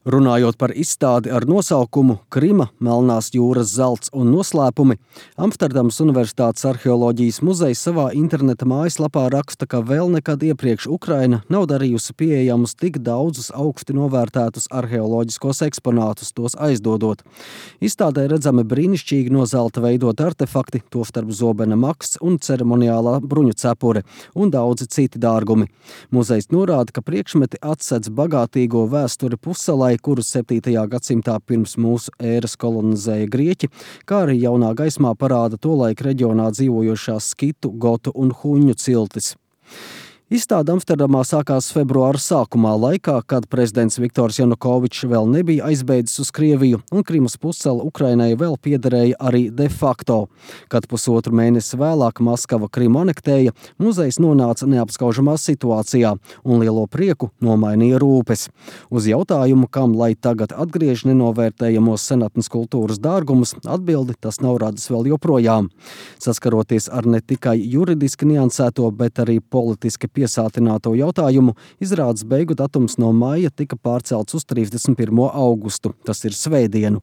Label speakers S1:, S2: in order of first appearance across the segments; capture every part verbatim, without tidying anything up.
S1: Runājot par izstādi ar nosaukumu Krima, Melnās jūras zelts un noslēpumi, Amsterdamas Universitātes arheoloģijas muzejs savā interneta mājaslapā raksta, ka vēl nekad iepriekš Ukraina nav darījusi pieejamus tik daudzus augsti novērtētus arheoloģiskos eksponātus, tos aizdodot. Izstādē redzami brīnišķīgi no zelta veidot artefakti, tostarp zobena maksts un ceremoniālā bruņu cepure un daudzi citi dārgumi. Muzejs norāda, ka priekšmeti atsedz bagātīgo vēsturi pussalai, kurus septītajā gadsimtā pirms mūsu ēras kolonizēja grieķi, kā arī jaunā gaismā parāda tolaik reģionā dzīvojošās skitu, gotu un huņu ciltis. Izstāde Amsterdamā sākās februāra sākumā, laikā, kad prezidents Viktors Janukovičs vēl nebija aizbēdzis uz Krieviju, un Krimas pussala Ukrainai vēl piederēja arī de facto. Kad pusotru mēnesi vēlāk Maskava Krimu anektēja, muzejs nonāca neapskaužamā situācijā, un lielo prieku nomainīja rūpes. Uz jautājumu, kam lai tagad atgriež nenovērtējamos senatnes kultūras dārgumus, atbildi tas nav radis vēl joprojām. Saskaroties ar ne tikai juridiski niansēto, bet arī politiski piesātināto jautājumu, izrādes beigu datums no maija tika pārcelts uz trīsdesmit pirmo augustu, tas ir svētdienu.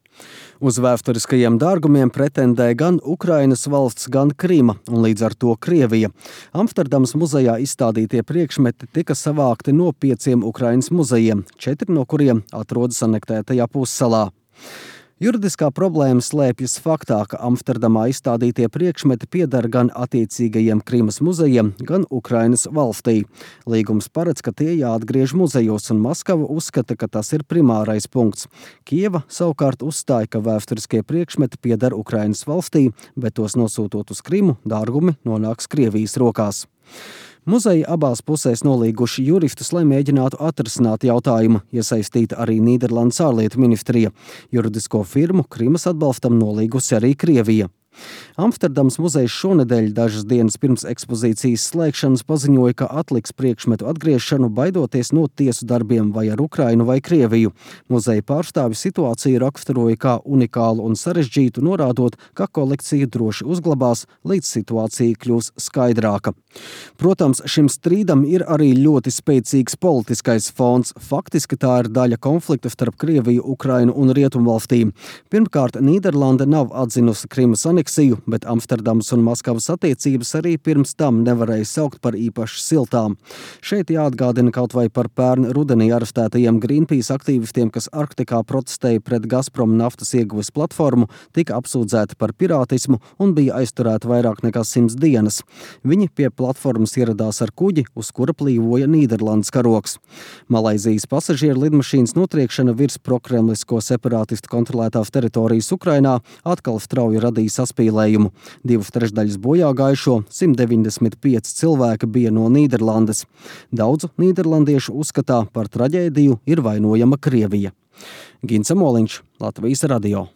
S1: Uz vēsturiskajiem dārgumiem pretendē gan Ukrainas valsts, gan Krima, un līdz ar to Krievija. Amsterdamas muzejā izstādītie priekšmeti tika savākti no pieciem Ukrainas muzejiem, četri no kuriem atrodas anektētajā pussalā. Juridiskā problēma slēpjas faktā, ka Amsterdamā izstādītie priekšmeti pieder gan attiecīgajiem Krimas muzejiem, gan Ukrainas valstī. Līgums paredz, ka tie jāatgriež muzejos, un Maskava uzskata, ka tas ir primārais punkts. Kieva savukārt uzstāja, ka vēsturiskie priekšmeti pieder Ukrainas valstī, bet tos nosūtot uz Krimu, dārgumi nonāks Krievijas rokās. Muzeji abās pusēs nolīguši juristus, lai mēģinātu atrisināt jautājumu, iesaistīta arī Nīderlandes ārlietu ministrija. Juridisko firmu Krimas atbalstam nolīgusi arī Krievija. Amsterdamas muzejs šonedēļ dažas dienas pirms ekspozīcijas slēgšanas paziņoja, ka atliks priekšmetu atgriešanu, baidoties no tiesu darbiem vai ar Ukrainu vai Krieviju. Muzeja pārstāvi situāciju raksturoja kā unikālu un sarežģītu, norādot, ka kolekcija droši uzglabās, līdz situācija kļūs skaidrāka. Protams, šim strīdam ir arī ļoti spēcīgs politiskais fons. Faktiski tā ir daļa konflikta starp Krieviju, Ukrainu un Rietumvalstīm. Pirmkārt, Nīderlande nav atzinusi Krimas aneksiju, bet Amsterdamas un Maskavas attiecības arī pirms tam nevarēja saukt par īpaši siltām. Šeit jāatgādina kaut vai par pērn rudenī arestētajiem Greenpeace aktīvistiem, kas Arktikā protestēja pret Gazprom naftas ieguves platformu, tika apsūdzēti par pirātismu un bija aizturēti vairāk nekā simts dienas. Viņi pie platformas ieradās ar kuģi, uz kura plīvoja Nīderlandes karoks. Malaizijas pasažieru lidmašīnas notriekšana virs prokremlisko separātistu kontrolētās teritorijas Ukrainā atkal strauji radīja saspīlējumu. Divas trešdaļas bojā gājušo, simt deviņdesmit pieci cilvēki bija no Nīderlandes. Daudzu nīderlandiešu uzskatā par traģēdiju ir vainojama Krievija. Gints Moliņš, Latvijas radio.